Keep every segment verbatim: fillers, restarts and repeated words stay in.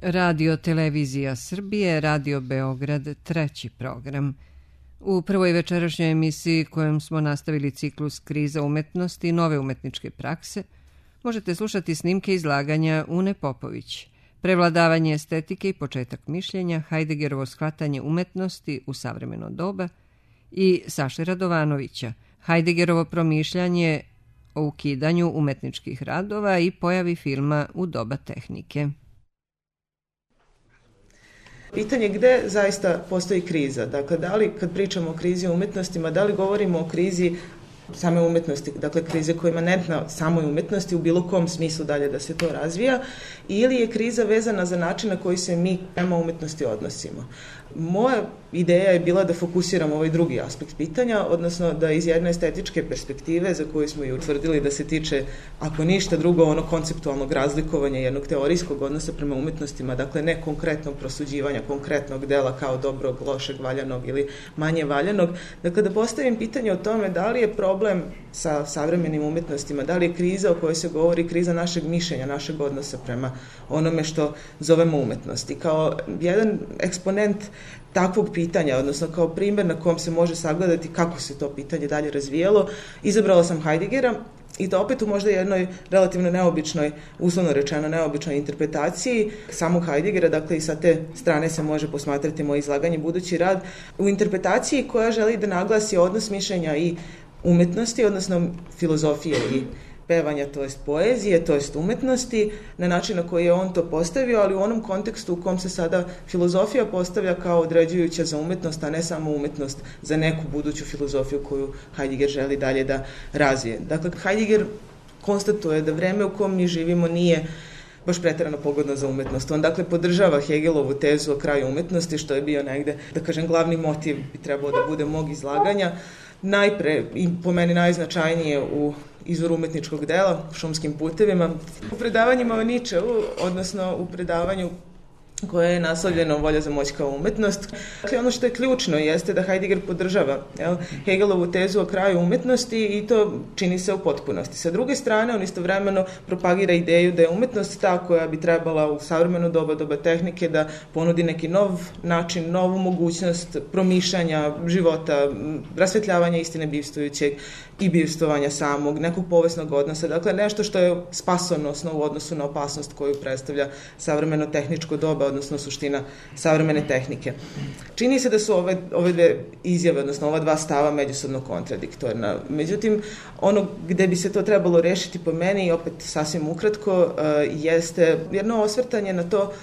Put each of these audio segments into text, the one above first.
Radio Televizija Srbije, Radio Beograd, treći program. U prvoj večerašnjoj emisiji kojom smo nastavili ciklus Kriza umetnosti i nove umetničke prakse, možete slušati snimke izlaganja Une Popović, Prevladavanje estetike i početak mišljenja, Heideggerovo shvatanje umetnosti u savremeno doba i Saše Radovanovića, Heideggerovo promišljanje o ukidanju umetničkih radova i pojavi filma u doba tehnike. Pitanje gde zaista postoji kriza. Dakle, da li kad pričamo o krizi u umetnostima, da li govorimo o krizi same umetnosti, dakle krize koja ima ne na samoj umetnosti u bilo kom smislu dalje da se to razvija, ili je kriza vezana za način na koji se mi prema umetnosti odnosimo. Moja ideja je bila da fokusiramo ovaj drugi aspekt pitanja, odnosno da iz jedne estetičke perspektive, za koju smo i utvrdili da se tiče, ako ništa drugo, ono konceptualnog razlikovanja jednog teorijskog odnosa prema umetnostima, dakle ne konkretnog prosuđivanja konkretnog dela kao dobrog, lošeg, valjanog ili manje valjanog, dakle da postavim pitanje o tome da li je problem sa savremenim umetnostima, da li je kriza o kojoj se govori kriza našeg mišljenja, našeg odnosa prema onome što zovemo umetnosti. Kao jedan eksponent takvog pitanja, odnosno kao primjer na kom se može sagledati kako se to pitanje dalje razvijalo, izabrala sam Heideggera i to opet u možda jednoj relativno neobičnoj, uslovno rečeno neobičnoj interpretaciji samog Heideggera, dakle i sa te strane se može posmatrati moje izlaganje, budući rad, u interpretaciji koja želi da naglasi odnos mišljenja i umetnosti, odnosno filozofije i pevanja, to jest poezije, to jest umetnosti, na način na koji je on to postavio, ali u onom kontekstu u kom se sada filozofija postavlja kao određujuća za umetnost, a ne samo umetnost za neku buduću filozofiju koju Heidegger želi dalje da razvije. Dakle, Heidegger konstatuje da vreme u kom mi živimo nije baš preterano pogodno za umetnost. On dakle podržava Hegelovu tezu o kraju umetnosti, što je bio negde, da kažem, glavni motiv bi trebao da bude mog izlaganja. Najpre, i po meni najznačajnije u izvoru umetničkog dela, Šumskim putevima, u predavanjima o Ničeu, odnosno u predavanju koje je naslovljeno Volja za moć kao umetnost. Dakle, ono što je ključno jeste da Heidegger podržava jel, Hegelovu tezu o kraju umetnosti i to čini se u potpunosti. Sa druge strane, on istovremeno propagira ideju da je umetnost ta koja bi trebala u savremeno doba, doba tehnike, da ponudi neki nov način, novu mogućnost promišljanja života, rasvetljavanja istine bivstvujućeg i bivstvovanja samog, nekog povesnog odnosa. Dakle, nešto što je spasonosno u odnosu na opasnost koju predstavlja savremeno tehničko doba, odnosno suština savremene tehnike. Čini se da su ove, ove dve izjave, odnosno ova dva stava međusobno kontradiktorna. Međutim, ono gde bi se to trebalo rešiti po meni, i opet sasvim ukratko, uh, jeste jedno osvrtanje na to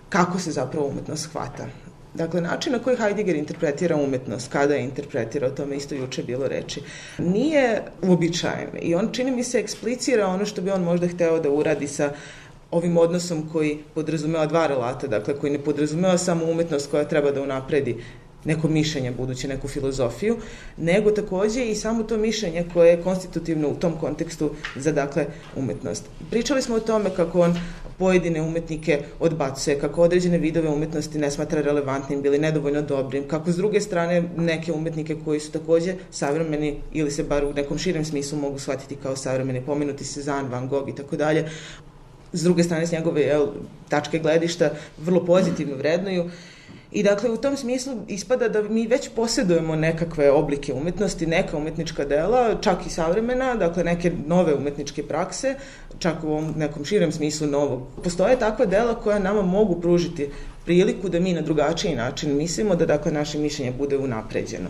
kako se zapravo umetnost hvata. Dakle, način na koji Heidegger interpretira umetnost, kada je interpretira, o tome isto juče bilo reči, nije uobičajen i on, čini mi se, eksplicira ono što bi on možda hteo da uradi sa ovim odnosom koji podrazumeva dva relata, dakle koji ne podrazumeva samo umetnost koja treba da unapredi neko mišljenje, budući neku filozofiju, nego takođe i samo to mišljenje koje je konstitutivno u tom kontekstu za, dakle, umetnost. Pričali smo o tome kako on pojedine umetnike odbacuje, kako određene vidove umetnosti ne smatra relevantnim, bili nedovoljno dobrim, kako s druge strane neke umetnike koji su takođe savremeni ili se bar u nekom širem smislu mogu shvatiti kao savremeni, pomenuti Cezanne, Van Gogh i tako dalje, s druge strane s njegove jel, tačke gledišta vrlo pozitivno vrednuju. I dakle, u tom smislu ispada da mi već posjedujemo nekakve oblike umetnosti, neka umetnička dela, čak i savremena, dakle neke nove umetničke prakse, čak u ovom nekom širem smislu novog. Postoje takva dela koja nama mogu pružiti priliku da mi na drugačiji način mislimo, da dakle naše mišljenje bude unapređeno.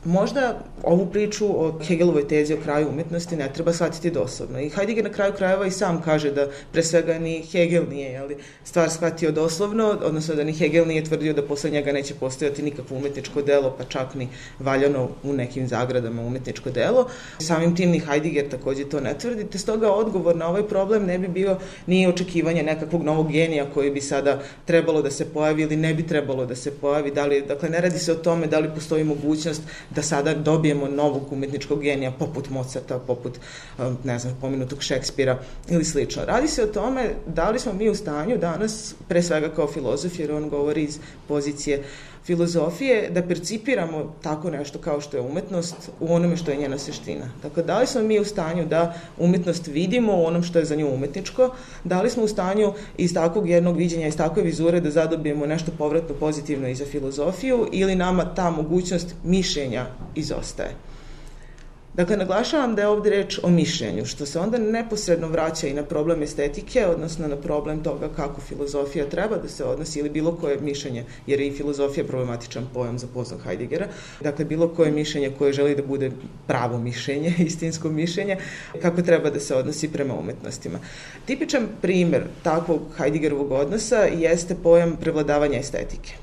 Možda ovu priču o Hegelovoj tezi o kraju umetnosti ne treba shvatiti doslovno. I Heidegger na kraju krajeva i sam kaže da pre svega ni Hegel nije jeli, stvar shvatio doslovno, odnosno da ni Hegel nije tvrdio da posle njega neće postojati nikakvo umetničko delo, pa čak ni valjano u nekim zagradama umetničko delo. Samim tim ni Heidegger takođe to ne tvrdi, te stoga odgovor na ovaj problem ne bi bio ni očekivanje nekakvog novog genija koji bi sada trebalo da se pojavi ili ne bi trebalo da se pojavi. Da li, dakle, ne radi se o tome da li postoji mogućnost da sada dobijemo novog umetničkog genija poput Mozarta, poput, ne znam, pomenutog Šekspira ili slično. Radi se o tome da li smo mi u stanju danas, pre svega kao filozof, jer on govori iz pozicije filozofije da percipiramo tako nešto kao što je umetnost u onome što je njena suština. Dakle, da li smo mi u stanju da umetnost vidimo u onom što je za nju umetničko, da li smo u stanju iz takvog jednog viđenja, iz takve vizure da zadobijemo nešto povratno pozitivno i za filozofiju ili nama ta mogućnost mišljenja izostaje. Dakle, naglašavam da je ovdje reč o mišljenju, što se onda neposredno vraća i na problem estetike, odnosno na problem toga kako filozofija treba da se odnosi ili bilo koje mišljenje, jer je i filozofija problematičan pojam za poznog Heideggera. Dakle, bilo koje mišljenje koje želi da bude pravo mišljenje, istinsko mišljenje, kako treba da se odnosi prema umetnostima. Tipičan primer takvog Heideggerovog odnosa jeste pojam prevladavanja estetike.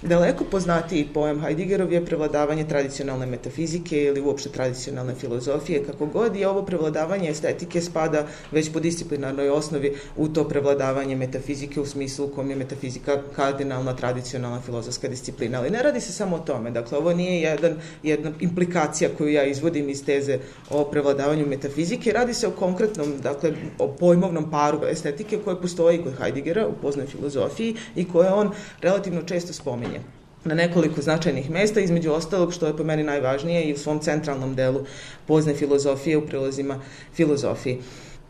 Daleko poznatiji pojam Heideggerov je prevladavanje tradicionalne metafizike ili uopšte tradicionalne filozofije, kako god, i ovo prevladavanje estetike spada već po disciplinarnoj osnovi u to prevladavanje metafizike u smislu u kom je metafizika kardinalna, tradicionalna filozofska disciplina. Ali ne radi se samo o tome. Dakle, ovo nije jedan, jedna implikacija koju ja izvodim iz teze o prevladavanju metafizike. Radi se o konkretnom, dakle, o pojmovnom paru estetike koje postoji kod Heideggera u poznoj filozofiji i koje on relativno često spominje na nekoliko značajnih mesta, između ostalog, što je po meni najvažnije, i u svom centralnom delu pozne filozofije u prilozima filozofiji.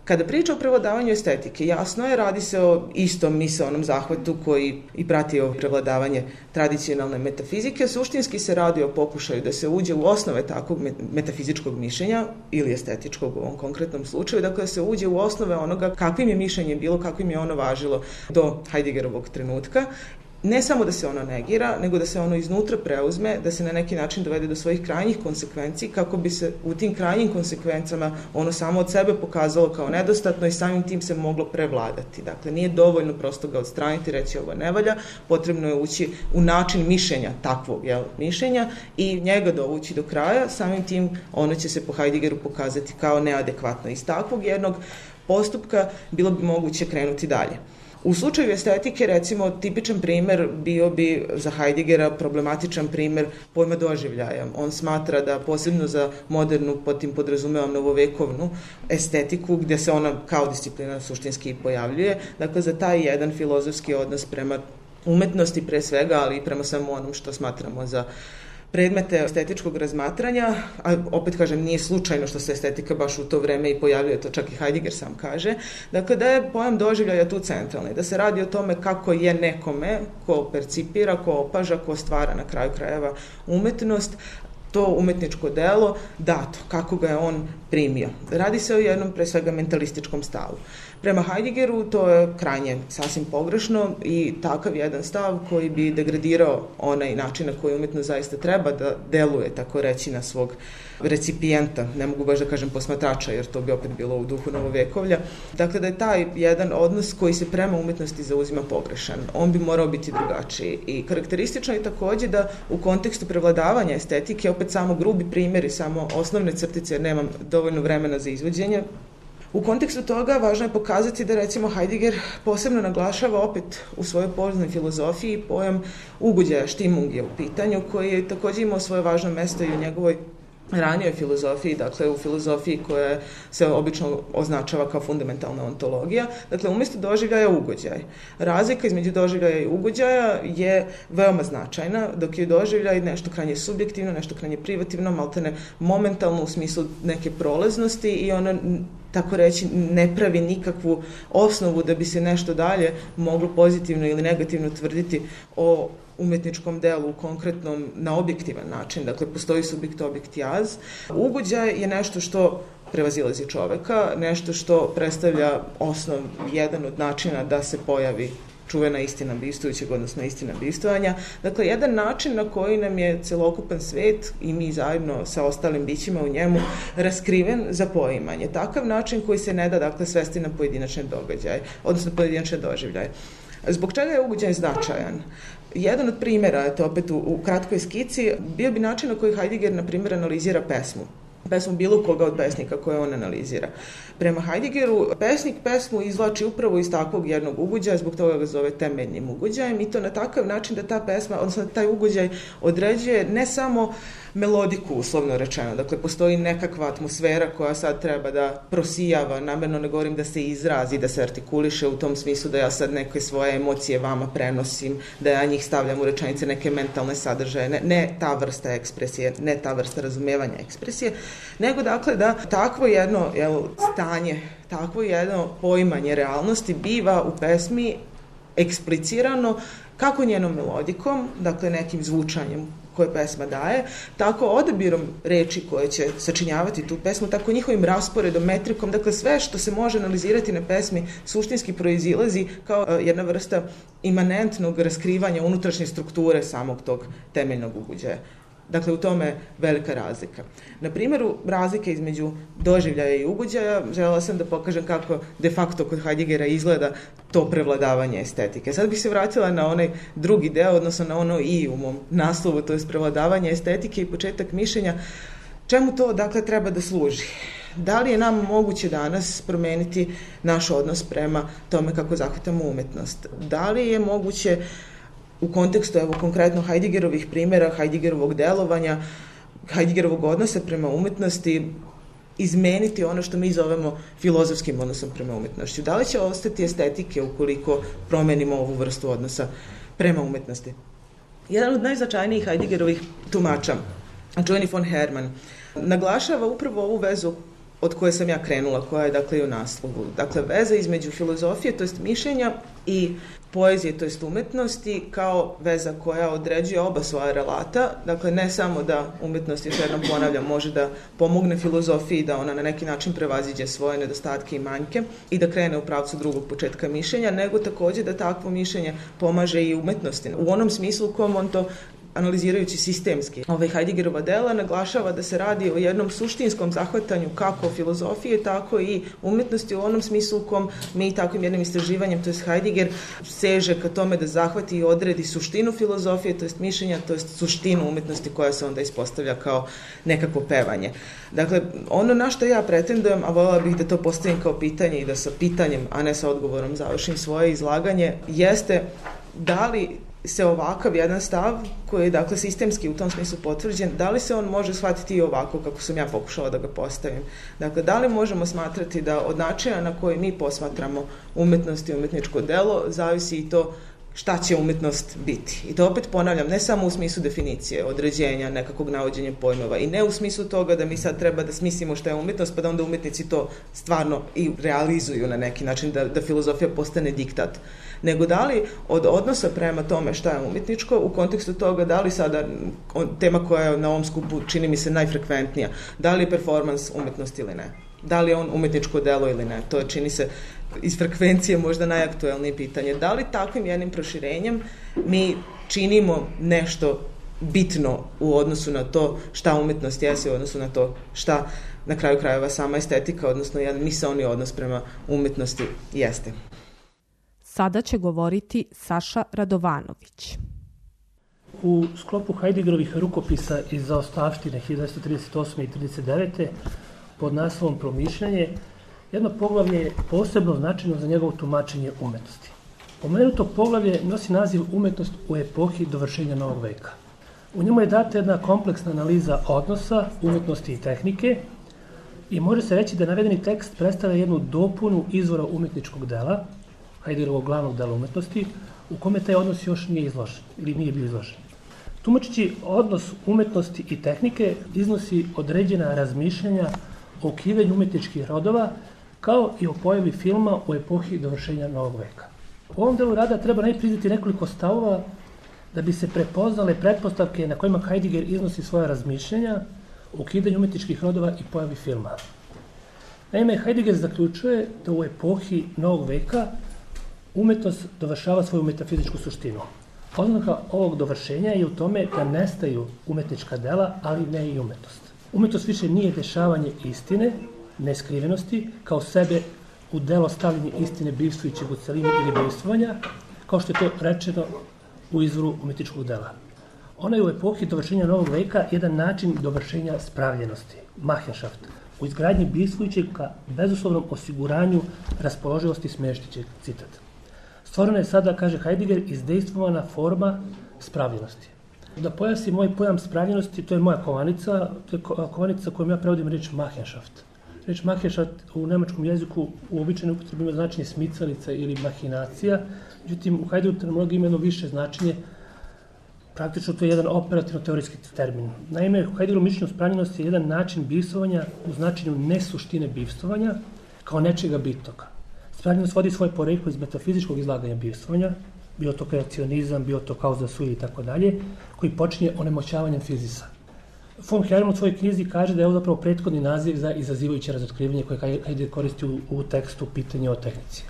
Kada priča o prevladavanju estetike, jasno je, radi se o istom misaonom zahvatu koji i prati ovo prevladavanje tradicionalne metafizike. Suštinski se radi o pokušaju da se uđe u osnove takvog metafizičkog mišljenja ili estetičkog u ovom konkretnom slučaju, dakle da se uđe u osnove onoga kakvim je mišljenje bilo, kakvim je ono važilo do Heideggerovog trenutka. Ne samo da se ono negira, nego da se ono iznutra preuzme, da se na neki način dovede do svojih krajnjih konsekvenci, kako bi se u tim krajnjim konsekvencama ono samo od sebe pokazalo kao nedostatno i samim tim se moglo prevladati. Dakle, nije dovoljno prosto ga odstraniti, reći ovo ne valja, potrebno je ući u način mišljenja takvog jel, mišljenja i njega dovući do kraja, samim tim ono će se po Heideggeru pokazati kao neadekvatno. Iz takvog jednog postupka bilo bi moguće krenuti dalje. U slučaju estetike, recimo, tipičan primer bio bi za Heideggera problematičan primer pojma doživljaja. On smatra da posebno za modernu, pod tim podrazumevam novovekovnu estetiku, gde se ona kao disciplina suštinski pojavljuje, dakle za taj jedan filozofski odnos prema umetnosti pre svega, ali i prema samo onom što smatramo za predmete estetičkog razmatranja, a opet kažem, nije slučajno što se estetika baš u to vreme i pojavljuje, to čak i Heidegger sam kaže, dakle da je pojam doživljaja tu centralni, da se radi o tome kako je nekome ko percipira, ko opaža, ko stvara na kraju krajeva umetnost, to umetničko delo dato, kako ga je on primio. Radi se o jednom pre svega mentalističkom stavu. Prema Heideggeru to je krajnje sasvim pogrešno i takav jedan stav koji bi degradirao onaj način na koji umetnost zaista treba da deluje, tako reći, na svog recipijenta, ne mogu baš da kažem posmatrača, jer to bi opet bilo u duhu novovekovlja. Dakle, da je taj jedan odnos koji se prema umetnosti zauzima pogrešan. On bi morao biti drugačiji. I karakteristično je takođe da u kontekstu prevladavanja estetike, opet samo grubi primjeri, samo osnovne crtice, jer nemam dovoljno vremena za izvođenje. U kontekstu toga važno je pokazati da recimo Heidegger posebno naglašava opet u svojoj poznoj filozofiji pojam ugođaja, štimung je u pitanju, koji je također imao svoje važno mesto i u njegovoj ranijoj filozofiji, dakle u filozofiji koja se obično označava kao fundamentalna ontologija, dakle umjesto doživljaja ugođaj. Razlika između doživljaja i ugođaja je veoma značajna, dok je doživljaj nešto krajnje subjektivno, nešto krajnje privativno, maltene momentalno u smislu neke prolaznosti i ono, tako reći, ne pravi nikakvu osnovu da bi se nešto dalje moglo pozitivno ili negativno tvrditi o umetničkom delu, konkretnom, na objektivan način. Dakle, postoji subjekt-objekt jaz. Ugođaj je nešto što prevazilazi čoveka, nešto što predstavlja osnov, jedan od načina da se pojavi čuvena istina bistujućeg, odnosno istina bistovanja. Dakle, jedan način na koji nam je celokupan svet i mi zajedno sa ostalim bićima u njemu raskriven za poimanje. Takav način koji se ne da, dakle, svesti na pojedinačne događaje, odnosno pojedinačne doživljaje. Zbog čega je ugođaj značajan? Jedan od primjera, to opet u, u kratkoj skici, bio bi način na koji Heidegger, na primjer, analizira pesmu. pesmu bilo koga od pesnika koje on analizira. Prema Heideggeru, pesnik pesmu izvlači upravo iz takvog jednog ugođaja, zbog toga ga zove temeljnim ugođajem i to na takav način da ta pesma, odnosno taj ugođaj određuje ne samo melodiku, uslovno rečeno. Dakle, postoji nekakva atmosfera koja sad treba da prosijava, namerno ne govorim da se izrazi, da se artikuliše u tom smislu da ja sad neke svoje emocije vama prenosim, da ja njih stavljam u rečenice, neke mentalne sadržaje, ne, ne ta vrsta ekspresije, ne ta vrsta razumevanja ekspresije, nego dakle da takvo jedno jel, stanje, takvo jedno poimanje realnosti biva u pesmi eksplicirano kako njenom melodikom, dakle nekim zvučanjem koje pesma daje, tako odabirom reči koje će sačinjavati tu pesmu, tako njihovim rasporedom, metrikom, dakle sve što se može analizirati na pesmi suštinski proizilazi kao jedna vrsta imanentnog raskrivanja unutrašnje strukture samog tog temeljnog ugođaja. Dakle, u tome je velika razlika. Na primjeru razlike između doživljaja i ugođaja želela sam da pokažem kako de facto kod Heideggera izgleda to prevladavanje estetike. Sad bih se vratila na onaj drugi deo, odnosno na ono i u mom naslovu, to je prevladavanje estetike i početak mišljenja. Čemu to, dakle, treba da služi? Da li je nam moguće danas promeniti naš odnos prema tome kako zahvatamo umetnost? Da li je moguće u kontekstu, evo, konkretno Heideggerovih primjera, Heideggerovog delovanja, Heideggerovog odnosa prema umetnosti, izmeniti ono što mi zovemo filozofskim odnosom prema umetnošću? Da li će ostati estetike ukoliko promenimo ovu vrstu odnosa prema umetnosti? Jedan od najznačajnijih Heideggerovih tumača, čuveni von Hermann, naglašava upravo ovu vezu od koje sam ja krenula, koja je dakle i u naslovu. Dakle, veza između filozofije, to jest mišljenja, i poezije, to jest umetnosti, kao veza koja određuje oba svoja relata. Dakle, ne samo da umetnost, još jednom ponavljam, može da pomogne filozofiji da ona na neki način prevaziđe svoje nedostatke i manjke i da krene u pravcu drugog početka mišljenja, nego takođe da takvo mišljenje pomaže i umetnosti. U onom smislu u kom on to analizirajući sistemski. Ovaj Heideggerova dela naglašava da se radi o jednom suštinskom zahvatanju kako filozofije, tako i umetnosti u onom smislu u kom mi takvim jednim istraživanjem, to je Heidegger, seže ka tome da zahvati i odredi suštinu filozofije, to je mišljenja, to je suštinu umetnosti koja se onda ispostavlja kao nekako pevanje. Dakle, ono na što ja pretendujem, a voljela bih da to postavim kao pitanje i da sa pitanjem, a ne sa odgovorom završim svoje izlaganje, jeste da li se ovakav jedan stav, koji je dakle sistemski u tom smislu potvrđen, da li se on može shvatiti i ovako kako sam ja pokušala da ga postavim? Dakle, da li možemo smatrati da od načina na koji mi posmatramo umetnost i umetničko delo zavisi i to šta će umetnost biti? I to opet ponavljam, ne samo u smislu definicije, određenja, nekakvog navođenja pojmova i ne u smislu toga da mi sad treba da smislimo šta je umetnost, pa da onda umetnici to stvarno i realizuju na neki način, da, da filozofija postane diktat. Nego da li od odnosa prema tome šta je umetničko, u kontekstu toga da li sada, tema koja je na ovom skupu čini mi se najfrekventnija, da li je performans umetnost ili ne? Da li je on umetničko delo ili ne? To je, čini se, iz frekvencije možda najaktuelnije pitanje. Da li takvim jednim proširenjem mi činimo nešto bitno u odnosu na to šta umetnost jeste, u odnosu na to šta na kraju krajeva sama estetika, odnosno jedan misaoni odnos prema umetnosti jeste? Sada će govoriti Saša Radovanović. U sklopu Heideggerovih rukopisa iz zaostavštine hiljadu devetsto trideset osme i trideset devete pod naslovom Promišljanje, jedno poglavlje je posebno značajno za njegovo tumačenje umetnosti. Pomenuto poglavlje nosi naziv Umetnost u epohi dovršenja novog veka. U njemu je data jedna kompleksna analiza odnosa, umetnosti i tehnike i može se reći da navedeni tekst predstavlja jednu dopunu izvora umetničkog dela, Heideggerovog glavnog dela umetnosti, u kome taj odnos još nije izložen ili nije bio izložen. Tumačeći odnos umetnosti i tehnike iznosi određena razmišljanja o ukidanju umetničkih rodova, kao i o pojavi filma u epohi dovršenja novog veka. U ovom delu rada treba najpriznati nekoliko stavova da bi se prepoznale pretpostavke na kojima Heidegger iznosi svoja razmišljanja o ukidanju umetničkih rodova i pojavi filma. Naime, Heidegger zaključuje da u epohi novog veka umetnost dovršava svoju metafizičku suštinu. Oznaka ovog dovršenja je u tome da nestaju umetnička dela, ali ne i umetnost. Umetnost više nije dešavanje istine, neskrivenosti, kao sebe u delo stavljanje istine bivstvujućeg u celini ili bivstvovanja, kao što je to rečeno u izvoru umetničkog dela. Ona je u epohi dovršenja novog veka jedan način dovršenja spravljenosti, Machenschaft, u izgradnji bivstvujućeg ka bezuslovnom osiguranju raspoloživosti smještićeg, citat. Stvorena je sada, kaže Heidegger, izdejstvovana forma spravljenosti. Da pojasnim moj pojam spravljenosti, to je moja kovanica, to je kovanica kojom ja prevodim reč Machenschaft. Reč Machenschaft u nemačkom jeziku u običajnoj upotrebi ima značenje smicalica ili mahinacija, međutim u Heideggeru terminologiji ima jedno više značenje. Praktično to je jedan operativno-teorijski termin. Naime, u Heideggeru mišljenju spravljenosti je jedan način bivstvovanja u značenju nesuštine bivstvovanja kao nečega bitnog. Spravljenost vodi svoje poreklo iz metafizičkog izlaganja bivstvovanja, bio to kreacionizam, bio to causa sui i tako dalje, koji počinje onemoćavanjem fizisa. Von Hermann u svojoj knjizi kaže da je ovo zapravo prethodni naziv za izazivajuće razotkrivanje koje Heidegger koristi u, u tekstu Pitanje o tehnici.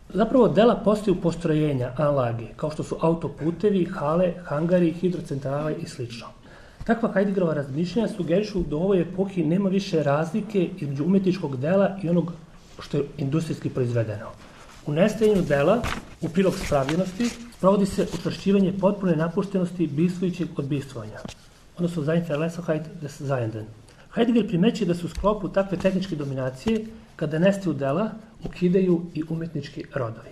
Zapravo dela postaju postrojenja, anlage, kao što su autoputevi, hale, hangari, hidrocentrale i sl. Takva Heideggerova razmišljanja sugerišu da u ovoj epohi nema više razlike između umetničkog dela i onog što je industrijski proizvedeno. U nestajanju dela, u prilog spravljenosti, provodi se učvršćivanje potpune napuštenosti bivstvujućeg od bivstvovanja, odnosno Verlässlichkeit des Seienden. Heidegger primećuje da su u sklopu takve tehničke dominacije, kada nestaju dela, ukidaju i umetnički rodovi.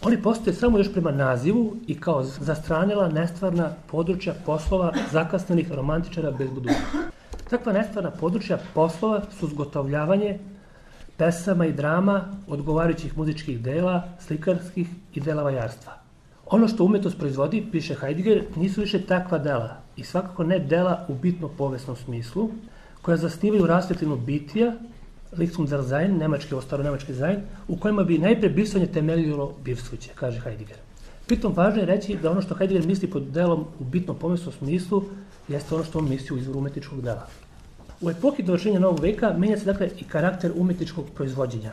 Oni postoje samo još prema nazivu i kao zastranila nestvarna područja poslova zakasnenih romantičara bez budućnosti. Takva nestvarna područja poslova su zgotovljavanje pesama i drama, odgovarajućih muzičkih dela, slikarskih i dela vajarstva. Ono što umetnost proizvodi, piše Heidegger, nisu više takva dela i svakako ne dela u bitno povesnom smislu, koja zasnivaju rasvetljenu bitija, Lichtum der Sein, nemački, ostaro nemački Sein, u kojima bi najpre bivstvovanje temeljilo bivstvuće, kaže Heidegger. Pritom važno je reći da ono što Heidegger misli pod delom u bitno povesnom smislu jeste ono što on misli u izvoru umetničkog dela. U epohi dovršenja novog veka menja se dakle i karakter umetničkog proizvođenja.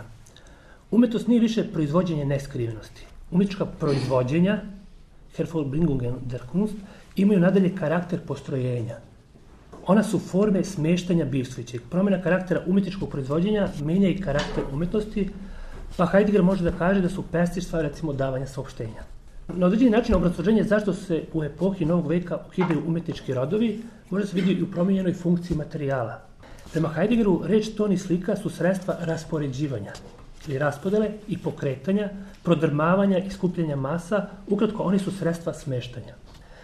Umetnost nije više proizvođenje neskrivenosti. Umetnička proizvođenja, Hervorbringungen der Kunst, imaju nadalje karakter postrojenja. Ona su forme smeštanja bivstvujućeg. Promjena karaktera umjetničkog proizvođenja menja i karakter umetnosti, pa Heidegger može da kaže da su pestištva recimo davanja saopštenja. Na određeni način obrazloženje zašto se u epohi novog veka ukidaju umetnički rodovi može se vidjeti i u promijenjenoj funkciji materijala. Prema Heideggeru, reč, ton i slika su sredstva raspoređivanja ili raspodele i pokretanja, prodrmavanja i skupljanja masa, ukratko oni su sredstva smeštanja.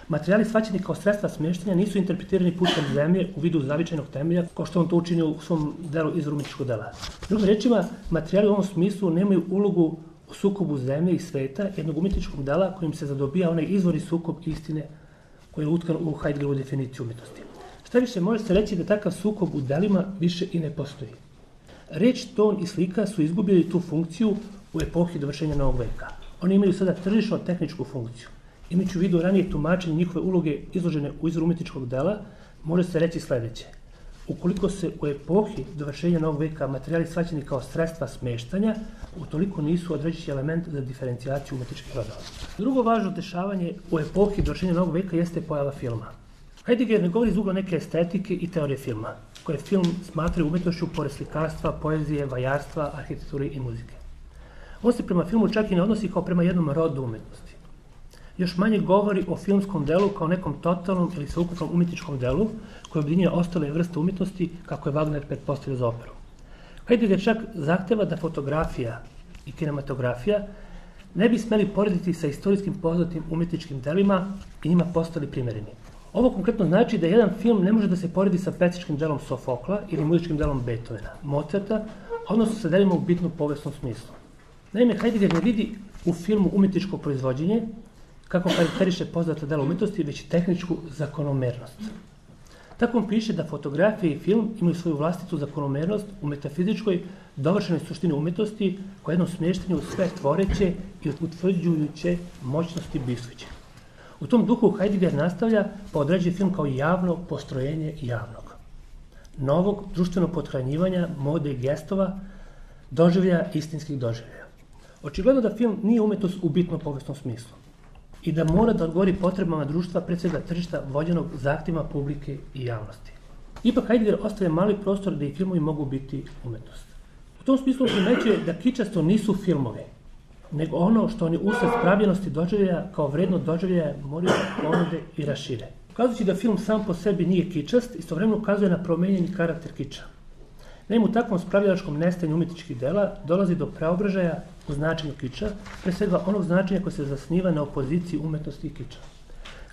Materijali shvaćeni kao sredstva smještanja nisu interpretirani putem zemlje u vidu zavičajnog temelja, kao što on to učinio u svom delu izvoru umetničkog dela. Drugim rečima, materijali u ovom smislu nemaju ulogu u sukobu zemlje i sveta, jednog umetničkog dela kojim se zadobija onaj izvorni sukob istine koji je utkan u Heideggerovu definiciju umjetnosti. Šta više, može se reći da takav sukob u delima više i ne postoji. Reč, ton i slika su izgubili tu funkciju u epohi dovršenja novog veka. Oni imaju sada tržišno-tehničku funkciju. Imajući u vidu ranije tumačenje njihove uloge izložene u izvoru umetničkog dela, može se reći sljedeće. Ukoliko se u epohi dovršenja novog veka materijali shvaćeni kao sredstva smeštanja, utoliko nisu određujući element za diferencijaciju umetničkih rodova. Drugo važno dešavanje u epohi dovršenja novog veka jeste pojava filma. Heidegger ne govori iz ugla neke estetike i teorije filma, koje film smatraju umetnošću pored slikarstva, poezije, vajarstva, arhitekture i muzike. On se prema filmu čak i ne odnosi kao prema jednom rodu umetnosti. Još manje govori o filmskom delu kao nekom totalnom ili sveukupnom umjetničkom delu koje objedinjuje ostale vrste umjetnosti kako je Wagner pretpostavio za operu. Heidegger čak zahteva da fotografija i kinematografija ne bi smeli porediti sa istorijskim poznatim umjetničkim delima i njima postali primjereni. Ovo konkretno znači da jedan film ne može da se poredi sa pesničkim delom Sofokla ili muzičkim delom Beethovena, Mozarta, odnosno sa delima u bitno povesnom smislu. Naime, Heidegger ne vidi u filmu umjetničko proizvođenje, kako karakteriše poznata dela umjetnosti, već tehničku zakonomernost. Tako on piše da fotografija i film imaju svoju vlastitu zakonomernost u metafizičkoj dovršenoj suštini umjetnosti koja jednom smještenju sve tvoreće i utvrđujuće moćnosti bivstvujuće. U tom duhu Heidegger nastavlja pa određuje film kao javno postrojenje javnog, novog društvenog pothranjivanja, mode i gestova, doživljaja istinskih doživljaja. Očigledno da film nije umjetnost u bitno povesnom smislu i da mora da odgovori potrebama društva, pred svega tržišta, vođenog zahtjevima publike i javnosti. Ipak Heidegger ostavlja mali prostor da i filmovi mogu biti umjetnost. U tom smislu primećuje da kičasto nisu filmovi, nego ono što oni usled spravljenosti doživljaja kao vredno doživljaja moraju da ponude i rašire. Ukazujući da film sam po sebi nije kičast, istovremeno ukazuje na promenjeni karakter kiča. Naime, u takvom spravljačkom nestanju umjetničkih dela dolazi do preobražaja u značenju kiča, pre svega onog značenja koje se zasniva na opoziciji umetnosti i kiča.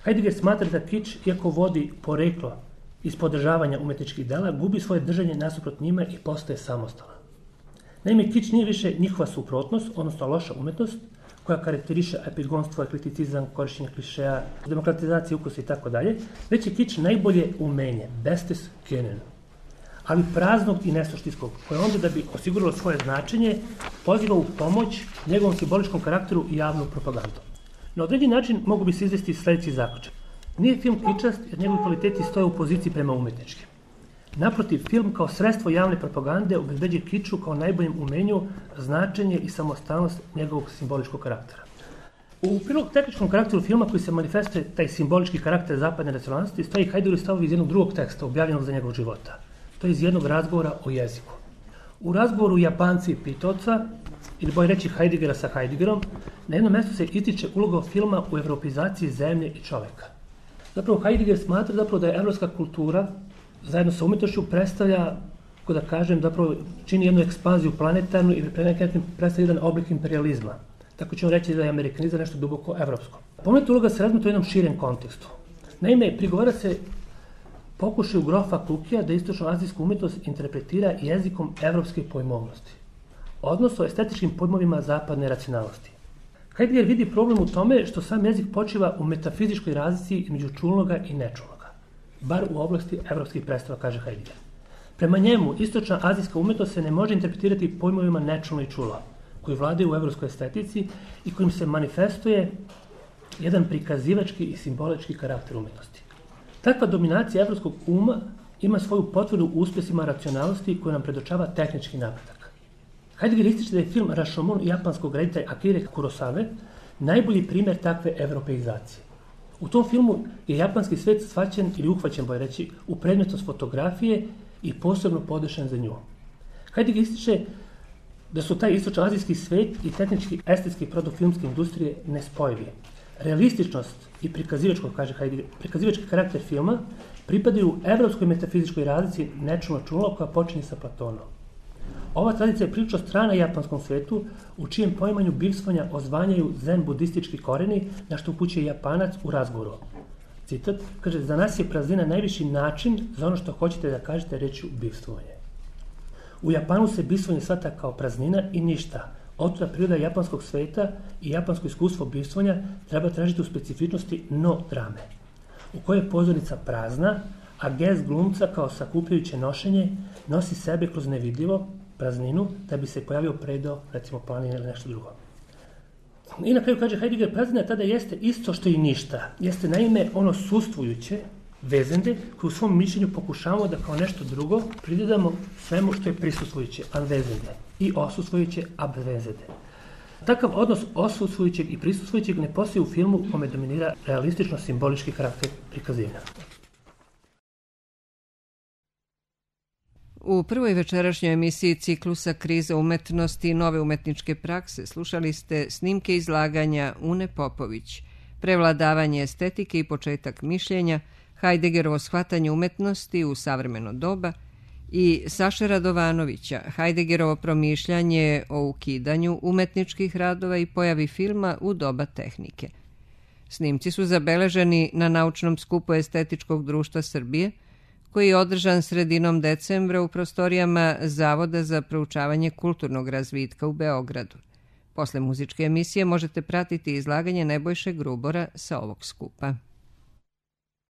Heidegger smatra da kič, iako vodi poreklo iz podržavanja umetničkih dela, gubi svoje držanje nasuprot njima i postaje samostalan. Naime, kič nije više njihova suprotnost, odnosno loša umetnost, koja karakteriše epigonstvo, ekleticizam, korišćenje klišeja, demokratizacije ukusa i tako dalje, već je kič najbolje umenje, bestes können, ali praznog i nesuštinskog, koje onda da bi osiguralo svoje značenje, poziva u pomoć njegovom simboličkom karakteru i javnu propagandu. Na određen način mogu bi se izvesti sljedeći zaključak. Nije film kičast jer njegovi kvaliteti stoje u poziciji prema umetničkim. Naprotiv, film kao sredstvo javne propagande obezbeđuje kiču kao najboljem umenju, značenje i samostalnost njegovog simboličkog karaktera. U prilog tehničkom karakteru filma koji se manifestuje taj simbolički karakter zapadne racionalnosti stoji Heideggerovi stavovi iz jednog drugog teksta objavljenog za njegovog života. To je iz jednog razgovora o jeziku. U razgovoru Japanci i Pitovca, ili bolje reći Heideggera sa Heideggerom, na jednom mjestu se ističe uloga filma u evropeizaciji zemlje i čoveka. Zapravo Heidegger smatra zapravo da je evropska kultura zajedno sa umjetnošću predstavlja, kako da kažem, zapravo čini jednu ekspanziju planetarnu i predstavlja jedan oblik imperializma. Tako ćemo reći da je amerikanizam nešto duboko evropsko. Pomenuta uloga se razmatra u jednom širem kontekstu. Naime, prigovara se pokušaju grofa Klukija da istočno-azijsku umjetnost interpretira jezikom evropske pojmovnosti, odnosno estetičkim pojmovima zapadne racionalnosti. Heidegger vidi problem u tome što sam jezik počiva u metafizičkoj razlici između čulnoga i nečulnoga, bar u oblasti evropskih predstava, kaže Heidegger. Prema njemu, istočna azijska umjetnost se ne može interpretirati pojmovima nečulno i čulo, koji vladaju u evropskoj estetici i kojim se manifestuje jedan prikazivački i simbolički karakter umjetnosti. Takva dominacija evropskog uma ima svoju potvrdu u uspjesima racionalnosti koju nam predočava tehnički napredak. Heidegger ističe da je film Rashomon japanskog reditelja Akire Kurosawe najbolji primjer takve evropeizacije. U tom filmu je japanski svet shvaćen ili uhvaćen, bolje reći, u predmetnost fotografije i posebno podešen za nju. Heidegger ističe da su taj istočno-azijski svet i tehnički estetski produkt filmske industrije nespojivi. Realističnost i prikazivačko, kaže Heidegger, prikazivački karakter filma pripadaju evropskoj metafizičkoj razlici nečulno čulo koja počinje sa Platonom. Ova tradicija je prilično strana japanskom svetu, u čijem poimanju bivstvanja ozvanjaju zen budistički koreni, na što upućuje Japanac u razgovoru. Citat, kaže, za nas je praznina najviši način za ono što hoćete da kažete rečju bivstvovanje. U Japanu se bivstvovanje shvata kao praznina i ništa. Otuda priroda japanskog sveta i japansko iskustvo bivstvovanja treba tražiti u specifičnosti no drame, u kojoj je pozornica prazna, a gest glumca kao sakupljajuće nošenje nosi sebe kroz nevidljivo, prazninu, da bi se pojavio predao, recimo planine ili nešto drugo. I na kraju kaže Heidegger, praznina tada jeste isto što i ništa. Jeste naime ono sustvujuće, vezende, koje u svom mišljenju pokušavamo da kao nešto drugo pridodamo svemu što je prisustvujuće, anvezende, i osustvujuće, abvezende. Takav odnos osustvujućeg i prisustvujućeg ne postoji u filmu u kome dominira realistično-simbolički karakter prikazivanja. U prvoj večerašnjoj emisiji ciklusa Kriza umetnosti i nove umetničke prakse slušali ste snimke izlaganja Une Popović, Prevladavanje estetike i početak mišljenja, Heideggerovo shvatanje umetnosti u savremeno doba i Saše Radovanovića, Heideggerovo promišljanje o ukidanju umetničkih radova i pojavi filma u doba tehnike. Snimci su zabeleženi na naučnom skupu Estetičkog društva Srbije, koji je održan sredinom decembra u prostorijama Zavoda za proučavanje kulturnog razvitka u Beogradu. Posle muzičke emisije možete pratiti izlaganje Nebojše Grubora sa ovog skupa.